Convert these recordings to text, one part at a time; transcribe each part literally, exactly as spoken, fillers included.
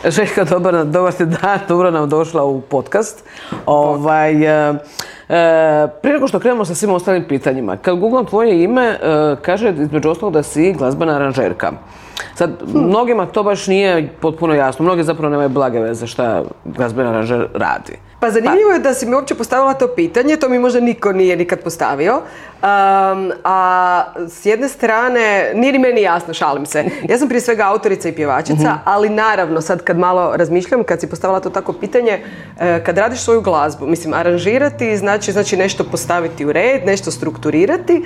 Željka, dobar, dobar ti dan, dobro nam došla u podcast. Ovaj, e, e, prije nego što krenemo sa svim ostalim pitanjima, kad googlam tvoje ime, e, kaže između ostalog da si glazbena aranžerka. Sad, hmm. mnogima to baš nije potpuno jasno, mnogi zapravo nemaju blage veze šta glazbena aranžer radi. Pa zanimljivo je da si mi uopće postavila to pitanje, to mi možda niko nije nikad postavio. Um, a s jedne strane, nije ni meni jasno, šalim se. Ja sam prije svega autorica i pjevačica, uh-huh. ali naravno sad kad malo razmišljam, kad si postavila to tako pitanje, kad radiš svoju glazbu, mislim, aranžirati znači, znači nešto postaviti u red, nešto strukturirati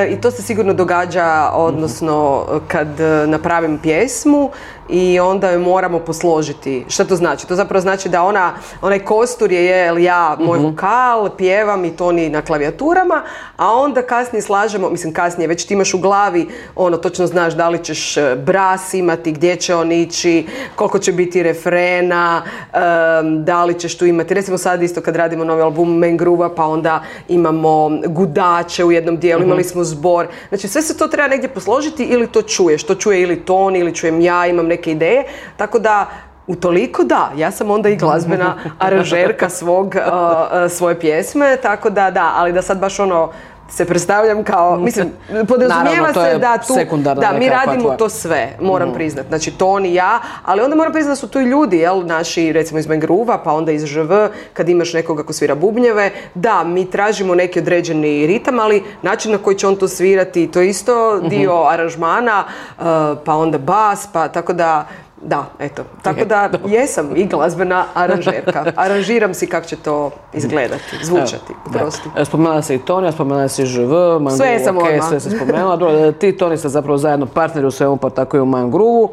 i to se sigurno događa, odnosno kad napravim pjesmu i onda ju moramo posložiti. Šta to znači? To zapravo znači da ona, onaj kostur je, je ja, moj uh-huh. vokal, pjevam i toni na klavijaturama, a onda kasnije slažemo, mislim kasnije, već ti imaš u glavi, ono, točno znaš da li ćeš bras imati, gdje će on ići, koliko će biti refrena, um, da li ćeš tu imati, recimo sad isto kad radimo novi album Man Groove, pa onda imamo gudače u jednom dijelu, uh-huh. imali smo zbor, znači sve se to treba negdje posložiti ili to čuješ, to čuje ili ton, ili čujem ja, imam neke ideje, tako da utoliko da, ja sam onda i glazbena aranžerka svog, uh, svoje pjesme, tako da da, ali da sad baš ono se predstavljam kao, mislim, podrazumijeva se da tu, da mi radimo to sve, moram mm. priznat, znači to on i ja, ali onda moram priznat da su tu i ljudi, jel, naši, recimo iz Man Groove-a, pa onda iz Ž V, kad imaš nekoga ko svira bubnjeve, da, mi tražimo neki određeni ritam, ali način na koji će on to svirati, to je isto dio mm-hmm. aranžmana, uh, pa onda bas, pa tako da, da, eto, tako da jesam i glazbena aranžerka. Aranžiram si kako će to izgledati, zvučati, prosti. Spomenula se i Toni, spomenula se i Ž V, Man sve sam okay, sve se spomenula. Ti, Toni, ste zapravo zajedno partneri u svemu, pa tako i u Man Groove-u.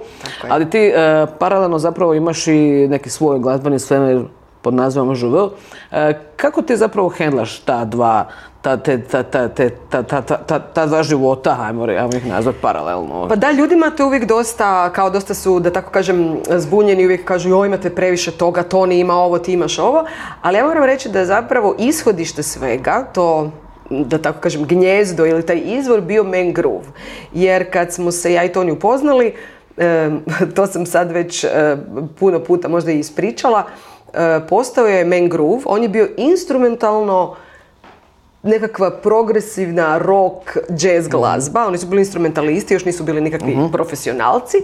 Ali ti e, paralelno zapravo imaš i neki svoj glazbeni svemir pod nazivom Ž V. E, kako ti zapravo hendlaš ta dva Ta, te, ta, ta, te, ta, ta, ta, ta dva života, ajmo, ajmo ih nazvati paralelno? Pa da, ljudima to uvijek dosta, kao dosta su, da tako kažem, zbunjeni, uvijek kažu joj, imate previše toga, Toni ima ovo, ti imaš ovo, ali ja moram reći da je zapravo ishodište svega, to, da tako kažem, gnjezdo ili taj izvor bio Man Groove. Jer kad smo se ja i Toni upoznali, eh, to sam sad već eh, puno puta možda i ispričala, eh, postao je Man Groove, on je bio instrumentalno nekakva progresivna rock, jazz glazba. Oni su bili instrumentalisti, još nisu bili nikakvi uh-huh. profesionalci.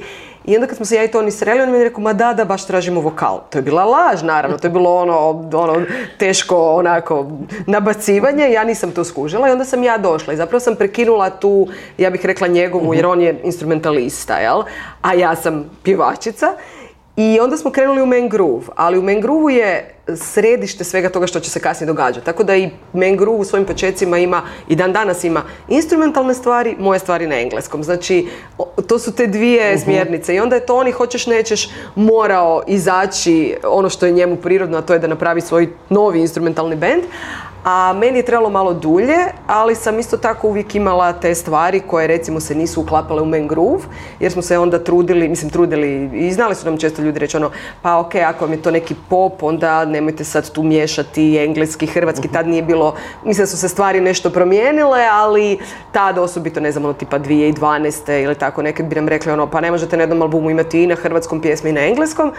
I onda kad smo se ja i Toni sreli, on mi je rekao, ma da, da, baš tražimo vokal. To je bila laž, naravno. To je bilo ono, ono teško onako nabacivanje. Ja nisam to skužila i onda sam ja došla. I zapravo sam prekinula tu, ja bih rekla njegovu, uh-huh. jer on je instrumentalista, jel? A ja sam pjevačica. I onda smo krenuli u Man Groove, ali u Man Groove-u je središte svega toga što će se kasnije događati. Tako da i Man Groove u svojim počecima ima, i dan danas ima instrumentalne stvari, moje stvari na engleskom. Znači, to su te dvije uh-huh. smjernice i onda je to oni, hoćeš nećeš, morao izaći ono što je njemu prirodno, a to je da napravi svoj novi instrumentalni bend. A meni je trebalo malo dulje, ali sam isto tako uvijek imala te stvari koje recimo se nisu uklapale u Man Groove, jer smo se onda trudili, mislim trudili i znali su nam često ljudi reći ono, pa ok, ako vam je to neki pop, onda nemojte sad tu miješati engleski, hrvatski, tad nije bilo, mislim da su se stvari nešto promijenile, ali tad osobito, ne znam, ono tipa dvije tisuće dvanaeste ili tako, nekad bi nam rekli ono, pa ne možete na jednom albumu imati i na hrvatskom pjesme i na engleskom.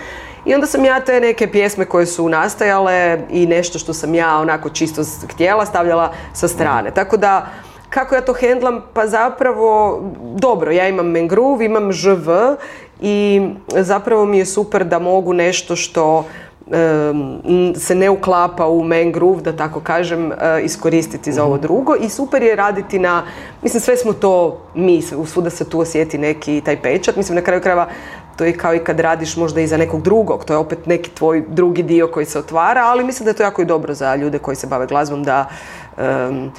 I onda sam ja te neke pjesme koje su nastajale i nešto što sam ja onako čisto htjela stavljala sa strane. Tako da, kako ja to hendlam? Pa zapravo, dobro, ja imam Man Groove, imam Ž V i zapravo mi je super da mogu nešto što um, se ne uklapa u Man Groove, da tako kažem, uh, iskoristiti za ovo drugo. I super je raditi na, mislim, sve smo to mi, svuda se tu osjeti neki taj pečat. Mislim, na kraju krajeva, to je kao i kad radiš možda i za nekog drugog, to je opet neki tvoj drugi dio koji se otvara, ali mislim da je to jako i dobro za ljude koji se bave glazbom, da, um,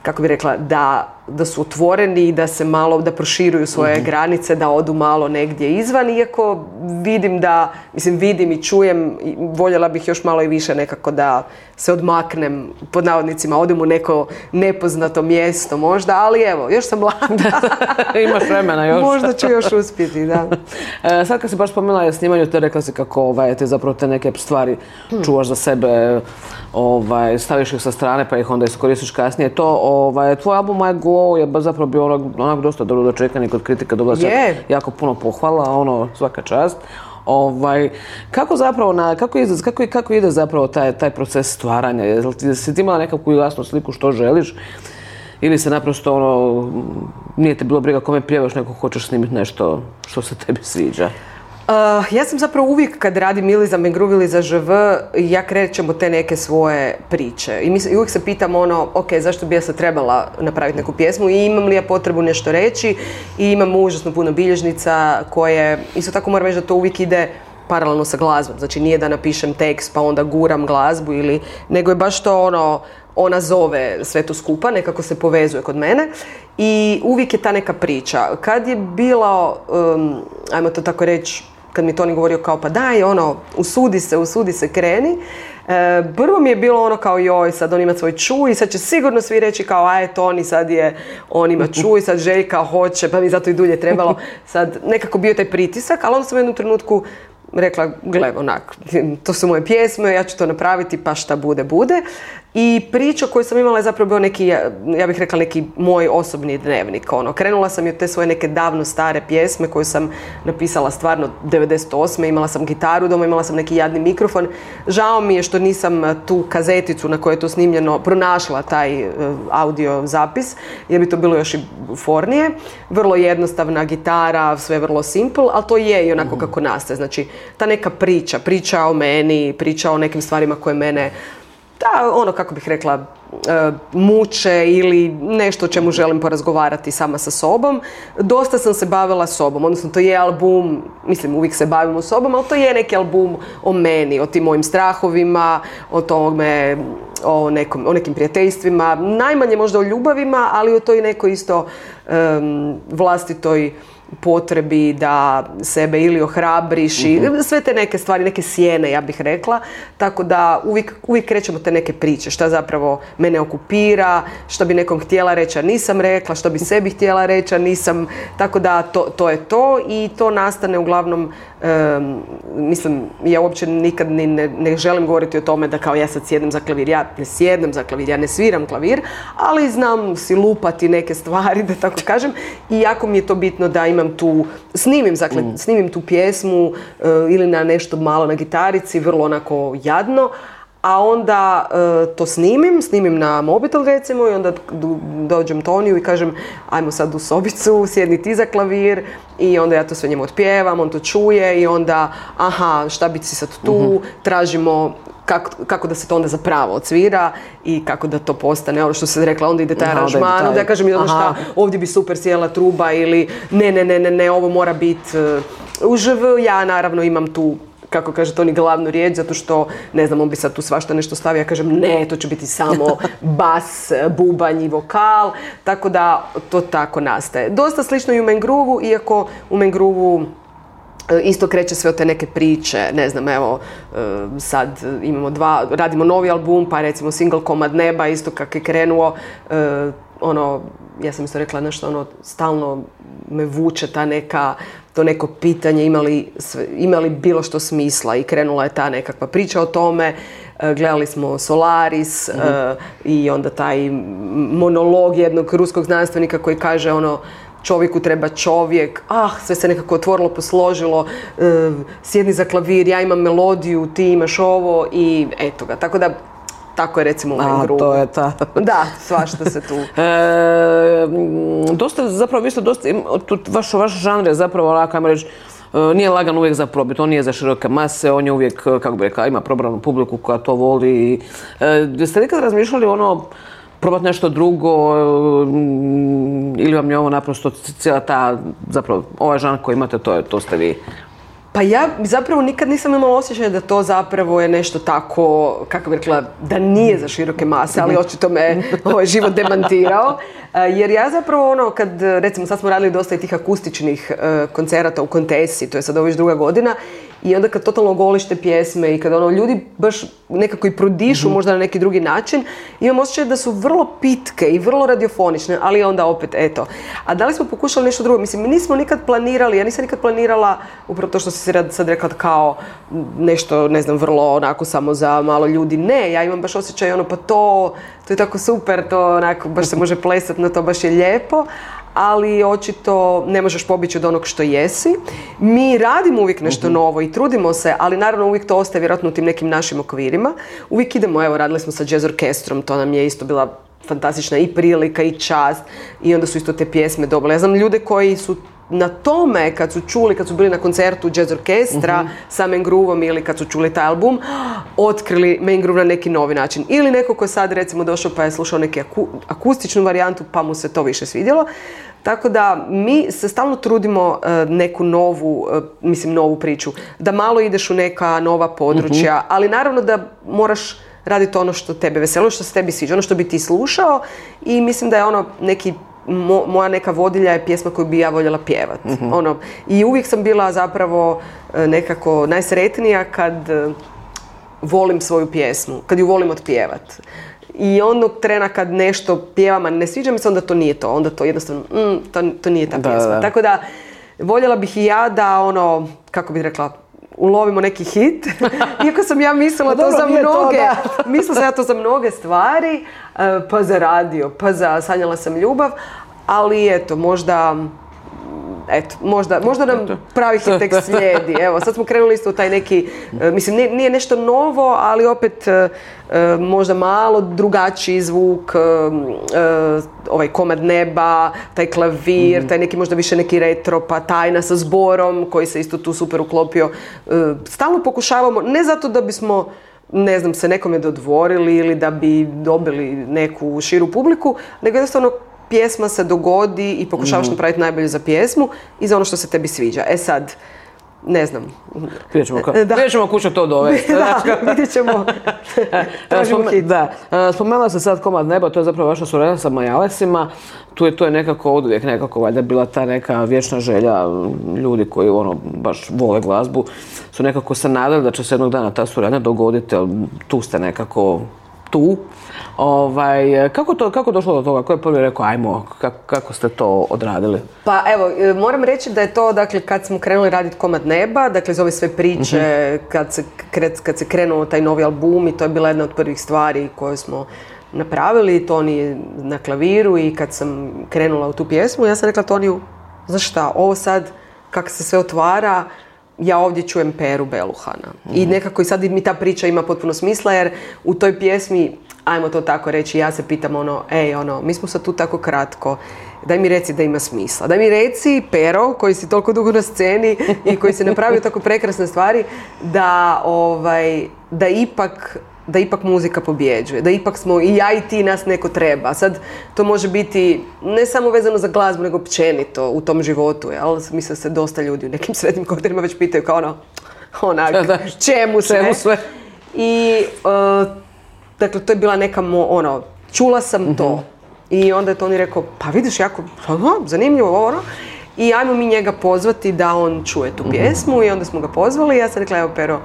kako bi rekla, da, da su otvoreni i da se malo, da proširuju svoje mm-hmm. granice, da odu malo negdje izvan, iako vidim da, mislim vidim i čujem, voljela bih još malo i više nekako da se odmaknem, pod navodnicima, odem u neko nepoznato mjesto možda, ali evo, još sam mlada. Imaš vremena još. Možda ću još uspjeti, da. E, sad kad si baš spomenula o snimanju, te rekla si kako ovaj, te zapravo te neke stvari hmm. čuvaš za sebe, ovaj, staviš ih sa strane pa ih onda iskoristiš kasnije. To, ovaj, tvoj album My Go je zapravo bio onak, onak dosta dobro dočekan i kod kritika dobila čak jako puno pohvala, ono, svaka čast. Ovaj, kako zapravo, na, kako, ide, kako, kako ide zapravo taj, taj proces stvaranja? Jesi ti imala nekakvu jasnu sliku što želiš? Ili se naprosto ono, nije te bilo briga kome pjevaš, nego hoćeš snimiti nešto što se tebi sviđa? Uh, ja sam zapravo uvijek kad radim ili za Mengroove ili za Ž V, ja krećem od te neke svoje priče. I, mis, i uvijek se pitam ono, ok, zašto bi ja sad trebala napraviti neku pjesmu i imam li ja potrebu nešto reći i imam užasno puno bilježnica koje, isto tako moram reći da to uvijek ide paralelno sa glazbom. Znači nije da napišem tekst pa onda guram glazbu ili, nego je baš to ono, ona zove sve to skupa, nekako se povezuje kod mene i uvijek je ta neka priča. Kad je bilo, um, ajmo to tako reći, kad mi Toni govorio kao pa daj, ono, usudi se, usudi se, kreni. E, prvo mi je bilo ono kao joj, sad on ima svoj čuj i sad će sigurno svi reći kao aj Toni sad je, on ima čuj, sad Željka hoće, pa mi zato i dulje trebalo. Sad nekako bio taj pritisak, ali onda sam u jednom trenutku rekla, gle, onak, to su moje pjesme, ja ću to napraviti, pa šta bude, bude. I priča koju sam imala je zapravo bio neki, ja bih rekla neki moj osobni dnevnik. Ono, krenula sam i od te svoje neke davno stare pjesme koju sam napisala stvarno devedeset osme. Imala sam gitaru doma, imala sam neki jadni mikrofon. Žao mi je što nisam tu kazeticu na kojoj je to snimljeno pronašla taj audio zapis, jer bi to bilo još i fornije. Vrlo jednostavna gitara, sve vrlo simple, ali to je i onako kako nastaje. Znači, ta neka priča, priča o meni, priča o nekim stvarima koje mene, da, ono, kako bih rekla, uh, muče ili nešto o čemu želim porazgovarati sama sa sobom. Dosta sam se bavila sobom, odnosno to je album, mislim uvijek se bavimo sobom, ali to je neki album o meni, o tim mojim strahovima, o tome, o, nekom, o nekim prijateljstvima, najmanje možda o ljubavima, ali o toj nekoj isto um, vlastitoj potrebi da sebe ili ohrabriš i sve te neke stvari, neke sjene, ja bih rekla. Tako da uvijek, uvijek krećemo te neke priče, šta zapravo mene okupira, što bi nekom htjela reći, a nisam rekla, što bi sebi htjela reći, a nisam. Tako da to, to je to i to nastane uglavnom, um, mislim, ja uopće nikad ni ne, ne želim govoriti o tome da kao ja sad sjednem za klavir. Ja ne sjednem za klavir, ja ne sviram klavir, ali znam si lupati neke stvari, da tako kažem, i jako mi je to bitno da imam tu, snimim, dakle, mm. snimim tu pjesmu uh, ili na nešto malo na gitarici, vrlo onako jadno, a onda uh, to snimim, snimim na mobitel recimo i onda do, dođem Toniju i kažem ajmo sad u sobicu, sjedni ti za klavir i onda ja to sve njemu otpjevam, on to čuje i onda aha, šta bi si sad tu, mm-hmm. tražimo Kako, kako da se to onda zapravo odsvira i kako da to postane, ono što se rekla, onda ide taj aranžman, onda ja kažem onda šta, ovdje bi super sjela truba ili ne, ne, ne, ne, ne, ovo mora biti uh, u Ž V, ja naravno imam tu, kako kaže Toni, glavnu riječ, zato što, ne znam, on bi sad tu svašta nešto stavio, ja kažem ne, to će biti samo bas, bubanj i vokal, tako da to tako nastaje. Dosta slično i u Mengrooveu, iako u Mengrooveu isto kreće sve od te neke priče, ne znam, evo, sad imamo dva, radimo novi album, pa recimo single Komad neba, isto kako je krenuo, ono, ja sam isto rekla nešto, ono, stalno me vuče ta neka, to neko pitanje, imali, imali bilo što smisla i krenula je ta nekakva priča o tome, gledali smo Solaris mm-hmm. uh, i onda taj monolog jednog ruskog znanstvenika koji kaže ono, čovjeku treba čovjek, ah, sve se nekako otvorilo, posložilo, e, sjedni za klavir, ja imam melodiju, ti imaš ovo i eto ga. Tako da, tako je recimo u Mengrooveu. A, to je ta. Da, svašta se tu. E, dosta, zapravo, vi ste dosta, vaš, vaš žanr je zapravo, onako, ajmo reći, nije lagan uvijek za probit, on nije za široke mase, on je uvijek, kako bi rekao, ima probranu publiku koja to voli. E, jeste nekad razmišljali ono, probati nešto drugo ili vam je ovo naprosto cijela ta, zapravo, ovaj žanr koji imate, to, je, to ste vi? Pa ja zapravo nikad nisam imala osjećaj da to zapravo je nešto tako, kako bih rekla, da nije za široke mase, ali očito me ovaj život demantirao. Jer ja zapravo ono, kad, recimo sad smo radili dosta i tih akustičnih uh, koncerata u Kontesi, to je sad ovo već druga godina, i onda kad totalno golište pjesme i kad ono, ljudi baš nekako i prodišu mm-hmm. možda na neki drugi način, imam osjećaj da su vrlo pitke i vrlo radiofonične, ali onda opet, eto. A da li smo pokušali nešto drugo? Mislim, mi nismo nikad planirali, ja nisam nikad planirala, upravo to što si sad rekla kao nešto, ne znam, vrlo onako samo za malo ljudi. Ne, ja imam baš osjećaj ono, pa to, to je tako super, to onako baš se može plesati na to, baš je lijepo. ali očito ne možeš pobjeći od onog što jesi. Mi radimo uvijek nešto uh-huh. novo i trudimo se, ali naravno uvijek to ostaje vjerojatno u tim nekim našim okvirima. Uvijek idemo, evo, radili smo sa jazz orkestrom, to nam je isto bila fantastična i prilika i čast i onda su isto te pjesme dobile. Ja znam ljude koji su na tome, kad su čuli, kad su bili na koncertu jazz orkestra uh-huh. sa Main Groovom ili kad su čuli taj album, otkrili Main Groove na neki novi način. Ili neko ko je sad recimo došao pa je slušao neku aku, akustičnu varijantu pa mu se to više svidjelo. Tako da mi se stalno trudimo uh, neku novu, uh, mislim novu priču, da malo ideš u neka nova područja, uh-huh. ali naravno da moraš raditi ono što tebe veseli, ono što se tebi sviđa, ono što bi ti slušao i mislim da je ono neki Mo, moja neka vodilja je pjesma koju bi ja voljela pjevat. Mm-hmm. Ono, i uvijek sam bila zapravo nekako najsretnija kad volim svoju pjesmu, kad ju volim otpjevat. I onog trena kad nešto pjevam, a ne sviđa mi se, onda to nije to. Onda to jednostavno, mm, to, to nije ta pjesma. Da, da. Tako da, voljela bih i ja da ono, kako bih rekla, ulovimo neki hit. Iako sam ja mislila to za mnoge, to, mislila sam ja to za mnoge stvari, pa za radio, pa za Sanjala sam ljubav, ali eto, možda, eto, možda, možda nam pravi hit tek slijedi. Evo, sad smo krenuli isto u taj neki, mislim, nije, nije nešto novo, ali opet možda malo drugačiji zvuk, ovaj komad neba, taj klavir, mm-hmm. taj neki možda više neki retro, pa tajna sa zborom koji se isto tu super uklopio. Stalno pokušavamo, ne zato da bismo, ne znam, se nekome dodvorili ili da bi dobili neku širu publiku, nego jednostavno pjesma se dogodi i pokušavaš mm-hmm. napraviti najbolje za pjesmu i za ono što se tebi sviđa. E sad, ne znam. Vidjet ćemo, ka- vidjet ćemo kuću to dovesti. Da, vidjet ćemo. Spome- da. Spomenula se sad komad neba, to je zapravo vaša suradnja sa Majalesima. Tu je to je nekako oduvijek nekako valjda bila ta neka vječna želja ljudi koji ono baš vole glazbu. Su nekako se nadali da će se jednog dana ta suradnja dogoditi, ali tu ste nekako tu. Ovaj, kako to, kako došlo do toga? Ko je prvi rekao, ajmo, kako, kako ste to odradili? Pa evo, moram reći da je to, dakle, kad smo krenuli raditi Komad neba, dakle, iz ove sve priče, uh-huh. kad, se, kad se krenuo taj novi album i to je bila jedna od prvih stvari koje smo napravili, Toni na klaviru i kad sam krenula u tu pjesmu, ja sam rekla Toniju, znaš šta, ovo sad, kako se sve otvara, ja ovdje čujem Peru Beluhana. Mm. I nekako i sad mi ta priča ima potpuno smisla jer u toj pjesmi, ajmo to tako reći, ja se pitam ono, ej ono, mi smo sad tu tako kratko, daj mi reci da ima smisla. Daj mi reci, Pero, koji si toliko dugo na sceni i koji si napravio tako prekrasne stvari, da, ovaj, da ipak... da ipak muzika pobjeđuje, da ipak smo i ja i ti, nas neko treba. Sad to može biti ne samo vezano za glazbu, nego općenito u tom životu, jel? Mislim se dosta ljudi u nekim srednjim kodernima već pitaju kao ono, onak, čemu sve? Čemu sve? I, uh, dakle, to je bila neka, mo, ono, čula sam mm-hmm. to. I onda je Toni rekao, pa vidiš, jako, aha, zanimljivo, ono. I ajmo mi njega pozvati da on čuje tu pjesmu mm-hmm. i onda smo ga pozvali i ja sam rekla, evo Pero,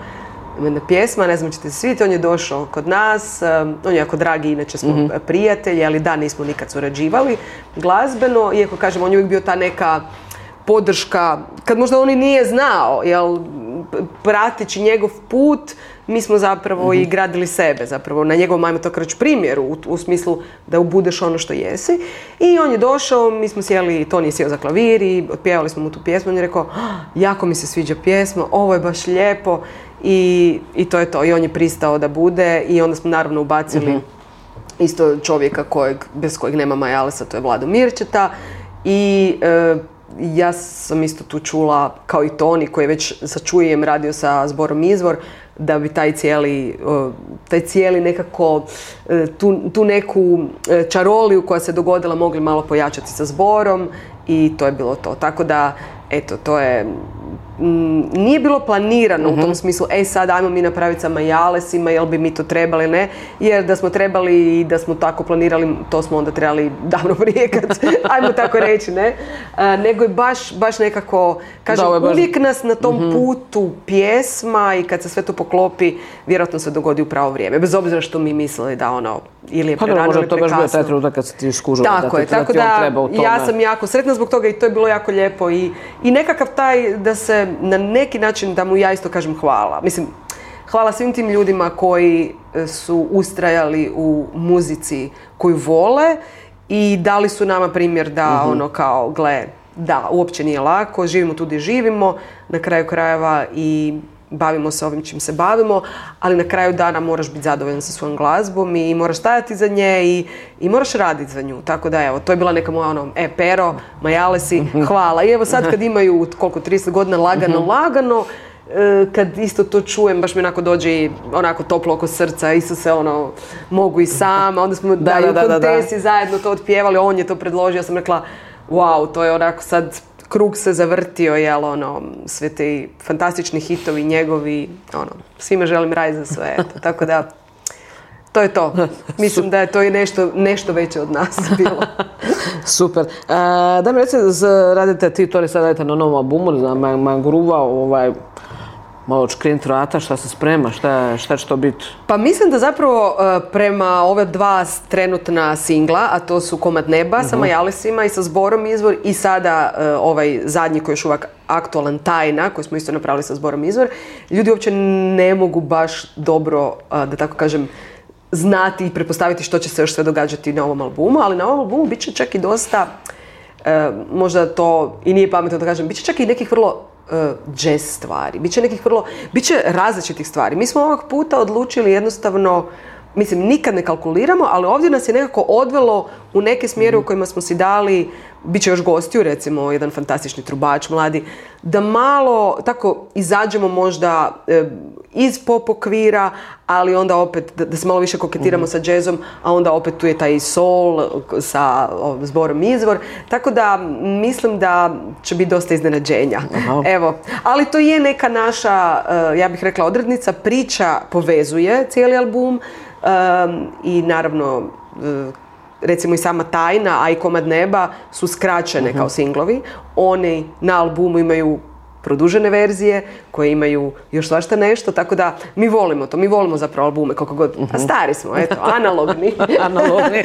jedna pjesma, ne znam ćete se svidjeti, on je došao kod nas, um, on je jako dragi, inače smo mm-hmm. prijatelji, ali da, nismo nikad surađivali glazbeno, iako kažem, on je uvijek bio ta neka podrška, kad možda on i nije znao, jel, prateći njegov put, mi smo zapravo mm-hmm. i gradili sebe, zapravo na njegovom, ajmo to reći, primjeru, u, u smislu da budeš ono što jesi. I on je došao, mi smo sjeli, Toni je sjeo za klavir i otpjevali smo mu tu pjesmu, on je rekao, jako mi se sviđa pjesma, ovo je baš lijepo. I, i to je to. I on je pristao da bude i onda smo naravno ubacili mm-hmm. isto čovjeka kojeg, bez kojeg nema Majalesa, to je Vlado Mirčeta. I e, ja sam isto tu čula, kao i Toni koji je već sa Čujem radio sa zborom Izvor, da bi taj cijeli, taj cijeli nekako, tu, tu neku čaroliju koja se dogodila mogli malo pojačati sa zborom i to je bilo to. Tako da, eto, to je... Nije bilo planirano mm-hmm. u tom smislu, ej sad ajmo mi napraviti sa Majalesima, jel bi mi to trebali, ne? Jer da smo trebali i da smo tako planirali, to smo onda trebali davno prije, kad, ajmo tako reći, ne? A, nego je baš, baš nekako, kažem, da, baš... uvijek nas na tom mm-hmm. putu pjesma i kad se sve to poklopi, vjerojatno se dogodi u pravo vrijeme. Bez obzira što mi mislili da ono, ili je prerano ili prekasno. Možda to baš bio taj trenutak kad se ti skužila da, je, da, tako da ti da, on treba u tome. Ja sam jako sretna zbog toga i to je bilo jako lijepo i, i nekakav taj da se na neki način da mu ja isto kažem hvala. Mislim, hvala svim tim ljudima koji su ustrajali u muzici koju vole i dali su nama primjer da uh-huh. ono kao, gle, da, uopće nije lako, živimo tu gdje živimo, na kraju krajeva i bavimo se ovim čim se bavimo, ali na kraju dana moraš biti zadovoljan sa svojom glazbom i moraš stajati za nje i, i moraš raditi za nju. Tako da evo, to je bila neka moja ono, e, Pero, Majalesi, hvala. I evo sad kad imaju koliko, trideset godina lagano, lagano, kad isto to čujem, baš mi onako dođe i onako toplo oko srca, isto se ono, mogu i sama, onda smo da, da, da, u kontesi da, da. zajedno to otpjevali, on je to predložio, ja sam rekla, wow, to je onako sad, krug se zavrtio, jel, ono, sve te fantastični hitovi njegovi, ono, svima želim raj za sve, eto, tako da, to je to. Mislim da je to i nešto, nešto veće od nas bilo. Super. E, da mi reci, radite ti, to li sad radite na novom albumu, za Mangrova, ovaj, malo čkrinit vrata, šta se sprema, šta, šta će to biti? Pa mislim da zapravo prema ove dva trenutna singla, a to su Komad neba uh-huh. sa Majalesima i sa Zborom Izvor i sada ovaj zadnji koji je još uvijek aktualan, Tajna, koji smo isto napravili sa Zborom Izvor, ljudi uopće ne mogu baš dobro, da tako kažem, znati i pretpostaviti što će se još sve događati na ovom albumu, ali na ovom albumu bit će čak i dosta, e, možda to i nije pametno da kažem, bit će čak i nekih vrlo jazz stvari, bit će nekih vrlo, bit će različitih stvari. Mi smo ovog puta odlučili jednostavno, mislim, nikad ne kalkuliramo, ali ovdje nas je nekako odvelo u neke smjere u kojima smo si dali, bit će još gostiju, recimo, jedan fantastični trubač, mladi, da malo tako izađemo možda e, iz pop okvira, ali onda opet da, da se malo više koketiramo mm-hmm. sa jazzom, a onda opet tu je taj soul sa o, Zborom Izvor. Tako da mislim da će biti dosta iznenađenja. Aha. Evo, ali to je neka naša, uh, ja bih rekla, odrednica, priča povezuje cijeli album um, i naravno uh, recimo i sama Tajna, a i Komad neba su skraćene uh-huh. kao singlovi. Oni na albumu imaju produžene verzije koje imaju još svašta nešto, tako da mi volimo to, mi volimo zapravo albume koliko god, uh-huh. a stari smo, eto, analogni. analogni.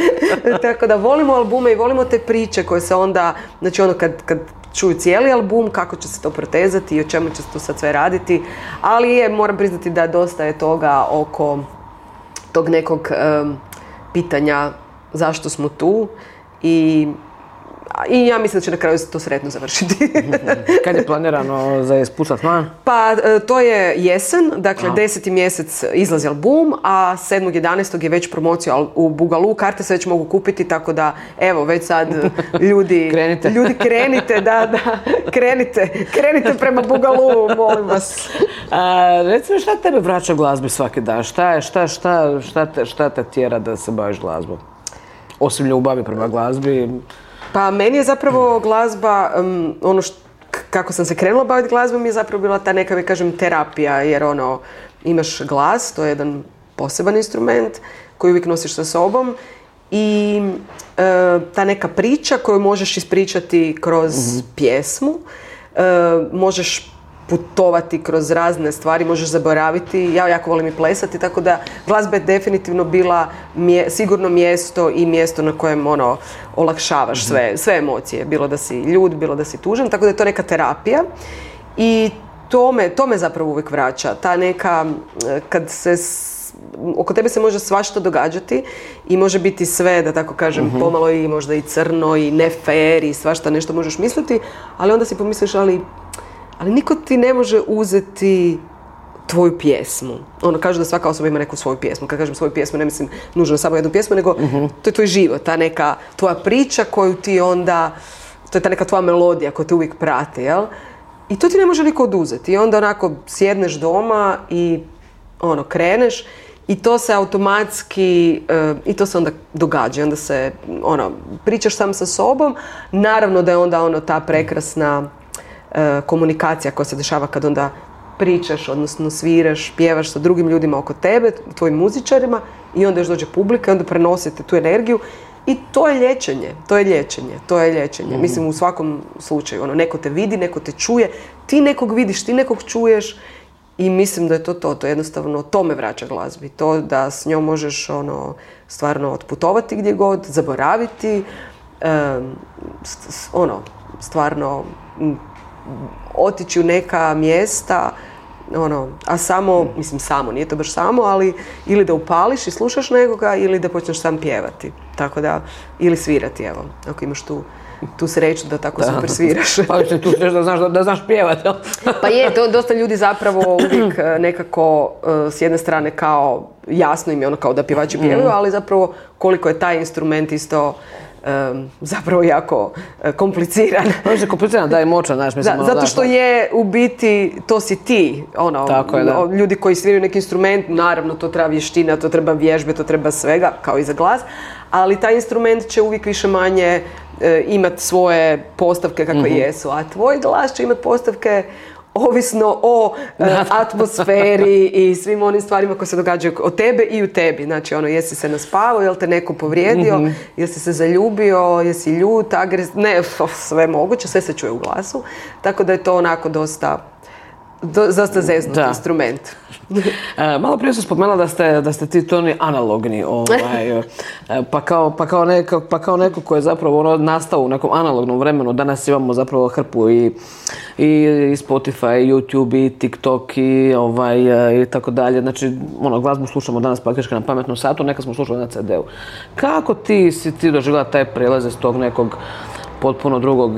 Tako da volimo albume i volimo te priče koje se onda, znači ono kad, kad čuju cijeli album, kako će se to protezati i o čemu će se to sad sve raditi, ali je, moram priznati da dosta je toga oko tog nekog um, pitanja zašto smo tu i, i ja mislim da će na kraju to sretno završiti. Kad je planirano za ispucat van? Pa to je jesen, dakle Aha. deseti mjesec izlazi album, a sedmog jedanaestog je već promocija u Bugalu, karte se već mogu kupiti, tako da evo već sad ljudi krenite, ljudi krenite, da, da, krenite, krenite prema Bugalu, molim vas. A, recimo, šta tebe vraća glazbi svaki dan? Šta je, šta, šta, šta, te, šta te tjera da se baviš glazbom? Osim ljubavi prema glazbi? Pa meni je zapravo glazba, um, ono št, kako sam se krenula baviti glazbom je zapravo bila ta neka, da kažem, terapija, jer ono, imaš glas, to je jedan poseban instrument koji uvijek nosiš sa sobom i uh, ta neka priča koju možeš ispričati kroz mm-hmm. pjesmu, uh, možeš putovati kroz razne stvari, možeš zaboraviti. Ja jako volim i plesati, tako da glazba je definitivno bila mje, sigurno mjesto i mjesto na kojem ono, olakšavaš sve, sve emocije. Bilo da si ljud, bilo da si tužan, tako da je to neka terapija. I to me, to me zapravo uvijek vraća. Ta neka, kad se oko tebe se može svašta događati i može biti sve, da tako kažem, uh-huh. pomalo i možda i crno i ne fair i svašta nešto možeš misliti, ali onda si pomisliš, ali ali niko ti ne može uzeti tvoju pjesmu. Ono, kažu da svaka osoba ima neku svoju pjesmu. Kad kažem svoju pjesmu, ne mislim nužno samo jednu pjesmu, nego uh-huh. to je tvoj život, ta neka tvoja priča koju ti onda, to je ta neka tvoja melodija koja te uvijek prati, jel? I to ti ne može niko oduzeti. I onda onako sjedneš doma i ono, kreneš i to se automatski, uh, i to se onda događa. Onda se, ono, pričaš sam sa sobom. Naravno da je onda ono ta prekrasna komunikacija koja se dešava kad onda pričaš, odnosno sviraš, pjevaš sa drugim ljudima oko tebe, tvojim muzičarima i onda još dođe publika i onda prenosite tu energiju i to je liječenje, to je liječenje, to je liječenje. Mm. Mislim u svakom slučaju, ono, neko te vidi, neko te čuje, ti nekog vidiš, ti nekog čuješ i mislim da je to to, to je jednostavno, to me vraća glazbi, to da s njom možeš ono, stvarno otputovati gdje god, zaboraviti, um, ono, stvarno otići u neka mjesta ono, a samo, mislim samo, nije to baš samo, ali ili da upališ i slušaš nekoga ili da počneš sam pjevati. Tako da, ili svirati, evo, ako imaš tu tu sreću da tako da. Super sviraš. Pa još tu sreću da znaš, da, da znaš pjevati. Pa je, to dosta ljudi zapravo uvijek nekako s jedne strane kao jasno im je ono kao da pjevači pjevaju, ali zapravo koliko je taj instrument isto Um, zapravo jako uh, kompliciran. Ono je kompliciran, da je moćan, znaš, mislim. Da, zato što je u biti, to si ti, ono, tako je, da. Ljudi koji sviraju neki instrument, naravno to treba vještina, to treba vježbe, to treba svega, kao i za glas, ali taj instrument će uvijek više manje uh, imati svoje postavke kakve mm-hmm. jesu, a tvoj glas će imati postavke ovisno o uh, atmosferi i svim onim stvarima koje se događaju od tebe i u tebi. Znači, ono, jesi se naspavao, jel te neko povrijedio, mm-hmm. jesi se zaljubio, jesi ljut, agres... Ne, sve moguće, sve se čuje u glasu. Tako da je to onako dosta, do, dosta zeznut da. Instrument. E, malo prije sam spomenula da ste, da ste ti Toni analogni, ovaj, pa, kao, pa, kao neko, pa kao neko ko je zapravo ono, nastao u nekom analognom vremenu. Danas imamo zapravo hrpu i, i, i Spotify, i YouTube, i TikTok i, ovaj, i tako dalje. Znači, ono, glazbu slušamo danas praktički na pametnom satu, nekad smo slušali na ce de u. Kako ti si ti doživjela taj prijelaz iz tog nekog potpuno drugog,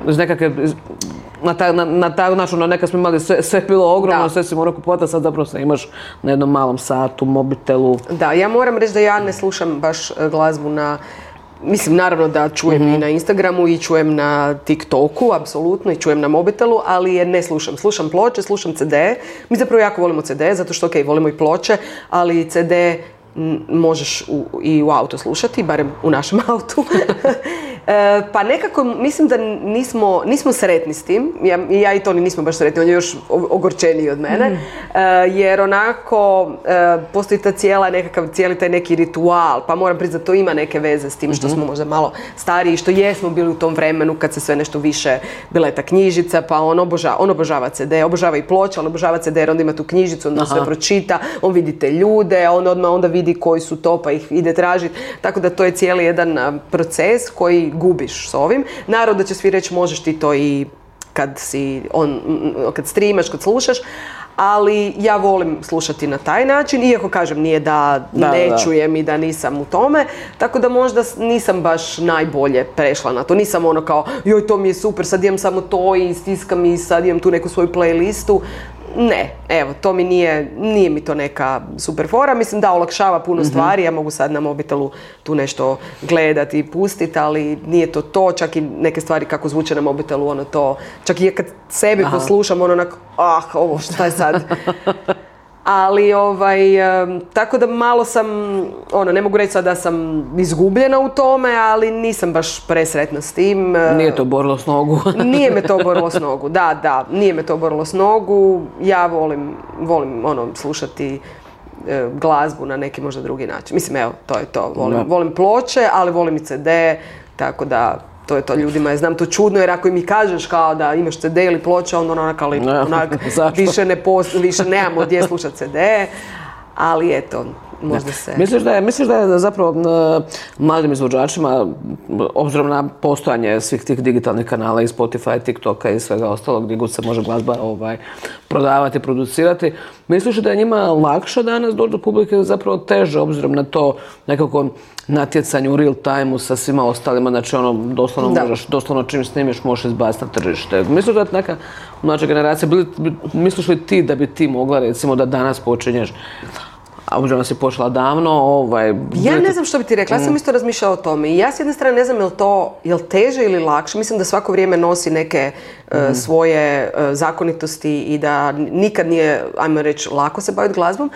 iz nekakve... Na taj na, na taj način, ono, nekad smo imali sve, sve bilo ogromno, da. Sve si morao kupovati, a sad zapravo se imaš na jednom malom satu, mobitelu. Da, ja moram reći da ja ne slušam baš glazbu na, mislim naravno da čujem mm-hmm. i na Instagramu i čujem na TikToku, apsolutno, i čujem na mobitelu, ali je ne slušam. Slušam ploče, slušam ce de. Mi zapravo jako volimo ce de, zato što, ok, volimo i ploče, ali ce de možeš u, i u auto slušati, barem u našem autu. e, pa nekako mislim da nismo, nismo sretni s tim. Ja, ja i Toni nismo baš sretni, on je još ogorčeniji od mene. Mm. E, jer onako e, postoji ta cijela nekakav, cijeli taj neki ritual, pa moram priznati to ima neke veze s tim što mm-hmm. smo možda malo stariji, što jesmo bili u tom vremenu kad se sve nešto više, bila je ta knjižica, pa on obožava, on obožava ce de, obožava i ploče, on obožava ce de jer onda ima tu knjižicu, onda sve pročita, on vidi te ljude, on odmah onda vidi koji su to pa ih ide tražiti. Tako da to je cijeli jedan proces koji gubiš s ovim. Naravno da će svi reći možeš ti to i kad si on, kad streamaš, kad slušaš, ali ja volim slušati na taj način, iako kažem nije da, da ne da. Čujem i da nisam u tome, tako da možda nisam baš najbolje prešla na to. Nisam ono kao, joj to mi je super, sad imam samo to i stiskam i sad imam tu neku svoju playlistu. Ne, evo, to mi nije, nije mi to neka super fora. Mislim da olakšava puno mm-hmm. stvari, ja mogu sad na mobitelu tu nešto gledati i pustiti, ali nije to to, čak i neke stvari kako zvuče na mobitelu, ono to, čak i kad sebi Aha. poslušam, ono onako, ah, ovo šta je sad? Ali, ovaj, um, tako da malo sam, ono, ne mogu reći sad da sam izgubljena u tome, ali nisam baš presretna s tim. Nije to borilo s nogu. Nije me to borilo s nogu, da, da, nije me to borilo s nogu. Ja volim, volim, ono, slušati e, glazbu na neki možda drugi način. Mislim, evo, to je to. Volim, volim ploče, ali volim i ce de, tako da... To je to ljudima, ja znam to čudno jer ako mi kažeš kao da imaš ce de ili ploče, onda onak, ali onak, više ne post, više nemamo gdje slušati ce de, ali eto, možda se... Misliš da je, misliš da je zapravo uh, mladim izvođačima, obzirom na postojanje svih tih digitalnih kanala i Spotify, TikToka i svega ostalog gdje god se može glazba ovaj, prodavati, producirati, misliš da je njima lakše danas doći do publike, zapravo teže obzirom na to nekako natjecanje u real time-u sa svima ostalima, znači ono, doslovno da. možeš, doslovno čim snimiš možeš izbaciti na tržište. Misliš da je neka mlađa generacija, bili, misliš li ti da bi ti mogla recimo da danas počinješ, a obzirom da si počela davno, ovaj... Ja ne znam što bi ti rekla, ja sam isto razmišljala o tome i ja s jedne strane ne znam je li to je li teže ili lakše, mislim da svako vrijeme nosi neke mm. uh, svoje uh, zakonitosti i da nikad nije, ajmo reći, lako se baviti glazbom,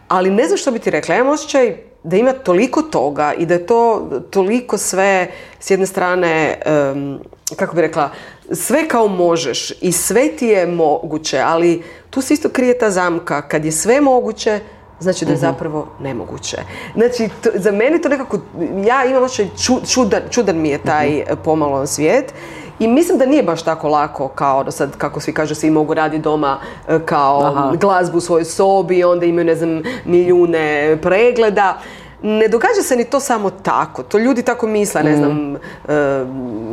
ali ne znam što bi ti rekla, ja imam osjećaj da ima toliko toga i da je to toliko sve s jedne strane, um, kako bi rekla, sve kao možeš i sve ti je moguće, ali tu se isto krije ta zamka, kad je sve moguće, znači da je zapravo nemoguće. Znači, to, za mene to nekako, ja imam osjećaj, ču, čudan, čudan mi je taj pomalo svijet i mislim da nije baš tako lako kao da sad, kako svi kažu, svi mogu raditi doma kao Aha. glazbu u svojoj sobi, onda imaju, ne znam, milijune pregleda. ne događa se ni to samo tako. To ljudi tako misle, ne znam, mm. e,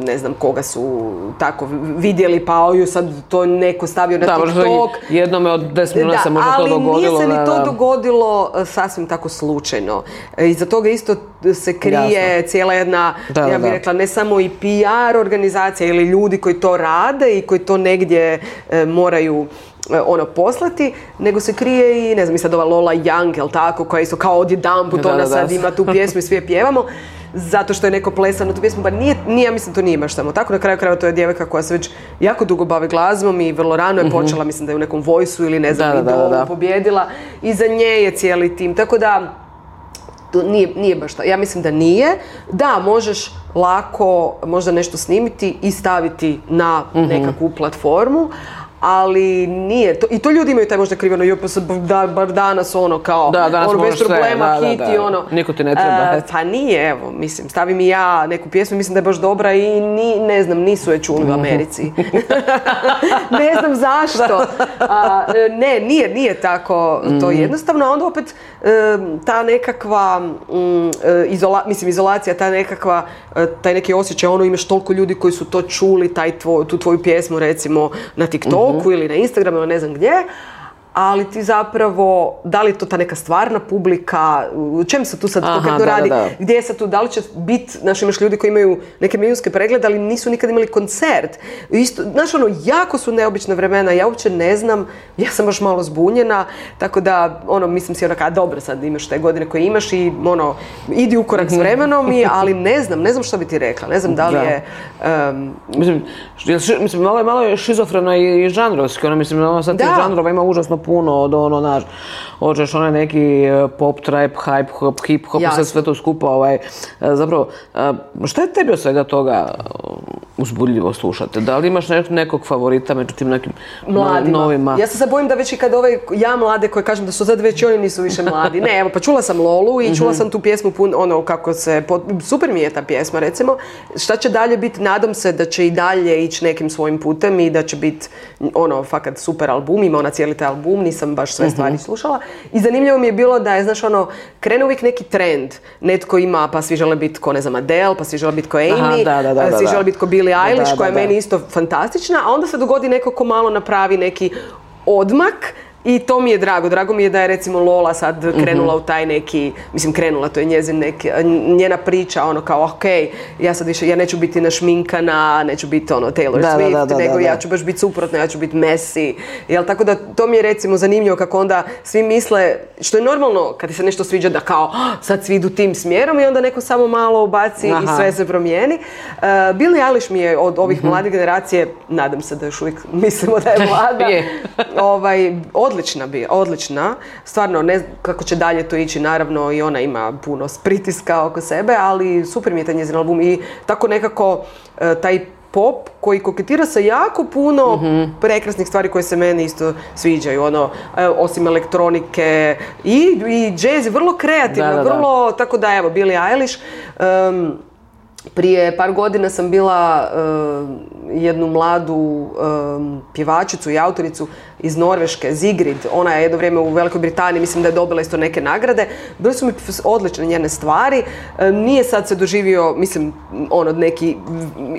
ne znam koga su tako vidjeli, pa oju sad to neko stavio na da, TikTok. Jednome od deset milijuna se možda to dogodilo. Ali nije se ni da, to da. dogodilo sasvim tako slučajno. E, iza toga isto se krije Jasno. cijela jedna, da, ja bih da. rekla, ne samo i P R organizacija ili ljudi koji to rade i koji to negdje e, moraju ono poslati, nego se krije i ne znam, i sad ova Lola Young, jel tako, koja isto kao odjedanput ona sad ima tu pjesmu i svi je pjevamo, zato što je neko plesao na tu pjesmu, pa nije, nije, ja mislim to nije baš samo tako, na kraju krajeva to je djevojka koja se već jako dugo bavi glazbom i vrlo rano je počela, mm-hmm. mislim da je u nekom Voice-u ili ne znam, da, da, da, da. pobjedila i za nje je cijeli tim, tako da to nije, nije baš tako. Ja mislim da nije. Da, možeš lako možda nešto snimiti i staviti na mm-hmm. nekakvu platformu, ali nije to, i to ljudi imaju taj možda kriveno, jo pa sad da, bar danas ono kao, da, danas ono bez problema, sve, hit da, da, i ono. Niko ti ne treba. Uh, pa nije, evo, mislim, stavim i ja neku pjesmu, mislim da je baš dobra i ni, ne znam, nisu je čuli u Americi. Ne znam zašto. Uh, ne, nije, nije tako to jednostavno, a onda opet uh, ta nekakva um, izola, mislim, izolacija, ta nekakva, uh, taj neki osjećaj, ono imaš toliko ljudi koji su to čuli, taj tvoj, tu tvoju pjesmu recimo na TikToku, mm-hmm. ili na Instagramu ili ne znam gdje, ali ti zapravo, da li je to ta neka stvarna publika, u čem se tu sad Aha, konkretno da, radi, da, da. gdje se tu, da li će biti, znaš, imaš ljudi koji imaju neke milijunske preglede, ali nisu nikad imali koncert. Isto, znaš, ono, jako su neobična vremena, ja uopće ne znam, ja sam baš malo zbunjena, tako da, ono, mislim si onaka, dobro, sad imaš te godine koje imaš i, ono, idi u korak s vremenom, i, ali ne znam, ne znam što bi ti rekla, ne znam da li je... Um, mislim, ši, mislim, malo je, malo je šizofrena i, i žanrovski, ono, mislim, ono, sad tih žanrova ima užasno puno od ono, naš, hoćeš onaj neki pop, trap, hype, hop, hip hop, sve, sve to skupa, ovaj, zapravo, šta je tebi od svega toga uzbudljivo slušati? Da li imaš nekog favorita među tim nekim Mladima. novima? Ja se sad bojim da već i kad ove, ja mlade koje kažem da su sad već oni nisu više mladi. Ne, evo, pa čula sam Lolu i čula sam tu pjesmu, pun, ono, kako se, super mi je ta pjesma, recimo. Šta će dalje biti? Nadam se da će i dalje ići nekim svojim putem i da će biti, ono, fakat super album, ima ona cijeli taj album, nisam baš sve stvari slušala. I zanimljivo mi je bilo da je, znaš, ono, krene uvijek neki trend. Netko ima, pa svi žele biti ko, ne znam, Adele, pa svi žele biti ko Amy, Aha, da, da, da, svi da, žele biti ko Billie Eilish, da, da, koja je da. meni isto fantastična, a onda se dogodi neko ko malo napravi neki odmak. I to mi je drago. Drago mi je da je recimo Lola sad krenula mm-hmm. u taj neki, mislim krenula, to je njezin neki, njena priča, ono kao ok, ja sad više, ja neću biti našminkana, neću biti ono Taylor da, Swift, da, da, nego da, da. ja ću baš biti suprotno, ja ću biti Messi. Jel, tako da to mi je recimo zanimljivo kako onda svi misle, što je normalno kad ti se nešto sviđa da kao oh, sad svi idu tim smjerom i onda neko samo malo ubaci Aha. i sve se promijeni. Uh, Billie Eilish mi je od ovih mm-hmm. mlade generacije, nadam se da još uvijek mislimo da je mlada, ovaj, odlična bi, odlična. Stvarno, ne znam kako će dalje to ići, naravno i ona ima puno pritiska oko sebe, ali super mi je taj njezin album i tako nekako e, taj pop koji koketira sa jako puno mm-hmm. prekrasnih stvari koje se meni isto sviđaju, ono, e, osim elektronike i, i jazz, vrlo kreativno, da, da, da. vrlo, tako da evo, Billie Eilish. Um, Prije par godina sam bila uh, jednu mladu um, pjevačicu i autoricu iz Norveške, Sigrid. Ona je jedno vrijeme u Velikoj Britaniji, mislim da je dobila isto neke nagrade. Bile su mi odlične njene stvari. Um, nije sad se doživio, mislim, ono neki,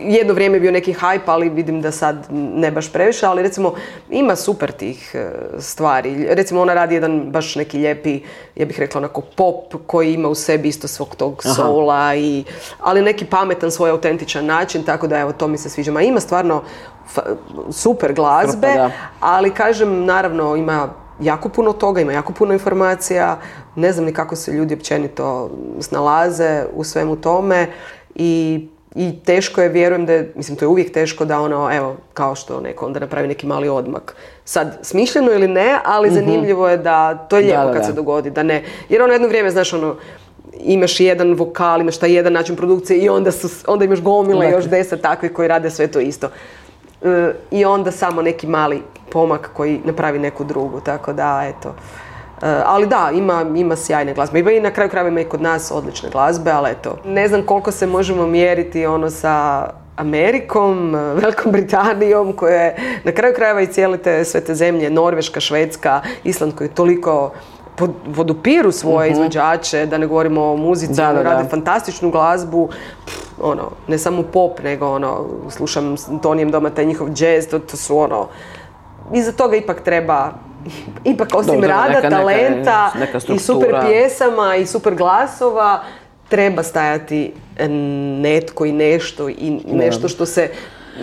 jedno vrijeme je bio neki hype, ali vidim da sad ne baš previše, ali recimo ima super tih uh, stvari. Recimo ona radi jedan baš neki lijepi, ja bih rekla onako pop koji ima u sebi isto svog tog soula, i, ali neki pametan, svoj autentičan način, tako da evo, to mi se sviđa. Ma ima stvarno fa- super glazbe, Krpa, ali kažem, naravno ima jako puno toga, ima jako puno informacija, ne znam ni kako se ljudi općenito snalaze u svemu tome i I teško je, vjerujem da je, mislim to je uvijek teško da ono, evo, kao što neko onda napravi neki mali odmak. Sad, smišljeno ili ne, ali mm-hmm. zanimljivo je da, to je lijepo da, da, kad da. se dogodi, da ne, jer ono jedno vrijeme, znaš, ono, imaš jedan vokal, imaš taj jedan način produkcije i onda, su, onda imaš gomile još deset takvih koji rade sve to isto. E, I onda samo neki mali pomak koji napravi neku drugu, tako da, eto. Uh, ali da, ima, ima sjajne glazbe. Ima i na kraju krajeva ima i kod nas odlične glazbe, ali eto, ne znam koliko se možemo mjeriti ono sa Amerikom, Velikom Britanijom, koje na kraju krajeva i cijele te, sve te zemlje, Norveška, Švedska, Island, koji toliko podupiru svoje uh-huh. izvođače, da ne govorimo o muzici, da, da, rade da. fantastičnu glazbu, ono, ne samo pop, nego ono, slušam s Tonijem doma taj njihov jazz, to, to su ono, iza toga ipak treba, ipak osim Dobro, rada, neka, talenta neka, neka i super pjesama i super glasova, treba stajati netko i nešto i nešto što se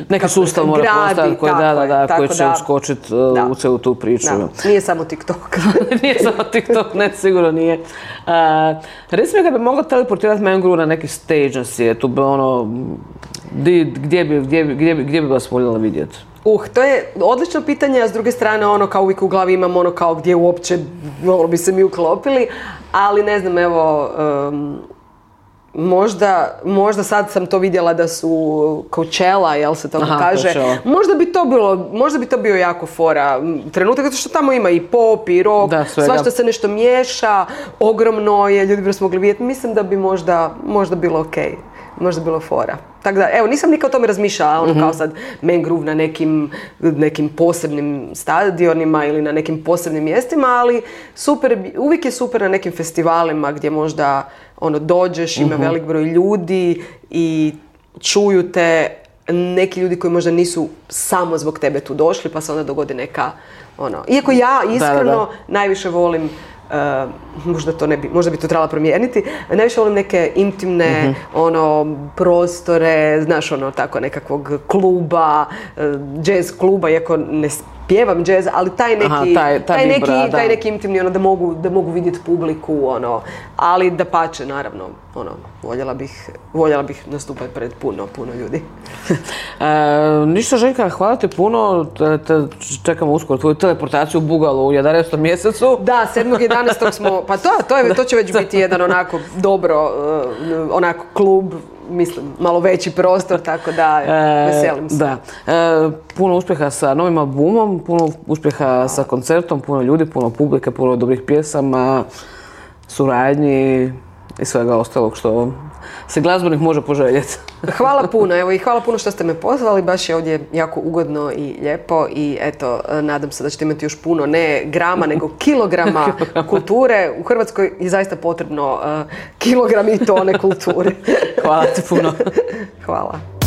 neki sustav mora postati koji, da, da, da, koji će uskočiti uh, u celu tu priču. Da. Nije samo TikTok. Nije samo TikTok, ne, sigurno nije. Uh, Reci mi, kad bi mogla teleportirati Mengru na neki stage na svijetu, bi ono, di, gdje, bi, gdje, bi, gdje, bi, gdje bi vas voljela vidjeti? Uh, to je odlično pitanje, a s druge strane ono kao uvijek u glavi imam ono kao gdje uopće ono, bi se mi uklopili, ali ne znam, evo, um, Možda, možda sad sam to vidjela da su Coachella, jel se tako kaže, Coachella. Možda bi to bilo, možda bi to bio jako fora trenutak, zato što tamo ima i pop i rock, da, svašta se nešto miješa, ogromno je, ljudi bi se mogli vidjeti, mislim da bi možda, možda bilo ok, možda bilo fora. Tako da, evo, nisam nikad o tome razmišljala, ono mm-hmm. kao sad Mangrove na nekim, nekim posebnim stadionima ili na nekim posebnim mjestima, ali super, uvijek je super na nekim festivalima gdje možda ono, dođeš, ima mm-hmm. velik broj ljudi i čuju te neki ljudi koji možda nisu samo zbog tebe tu došli, pa se onda dogodi neka, ono, iako ja iskreno da, da, da. najviše volim, Uh, možda to ne bi, možda bi to trebala promijeniti. Najviše volim neke intimne mm-hmm. ono, prostore, znaš ono, tako nekakvog kluba, uh, jazz kluba, iako ne pjevam jazz, ali taj neki, Aha, taj, taj, taj, vibra, neki taj neki intimni, ono, da mogu, da mogu vidjeti publiku, ono, ali da pače, naravno, ono, voljela bih, voljela bih nastupati pred puno, puno ljudi. e, ništa, Željka, hvala ti puno, te, te čekamo uskoro tvoju teleportaciju u Bugalu u jedanaestom mjesecu. Da, sedmog jedanaestog smo, pa to, to, je, to će već biti jedan onako dobro, uh, onako klub, mislim, malo veći prostor, tako da e, veselim se. Da. E, puno uspjeha sa novim albumom, puno uspjeha sa koncertom, puno ljudi, puno publike, puno dobrih pjesama, suradnji i svega ostalog što se glazbenik može poželjeti. Hvala puno, evo i hvala puno što ste me pozvali, baš je ovdje jako ugodno i lijepo i eto, nadam se da ćete imati još puno, ne grama, nego kilograma kulture. U Hrvatskoj je zaista potrebno uh, kilogram i tone kulture. Hvala ti puno. Hvala.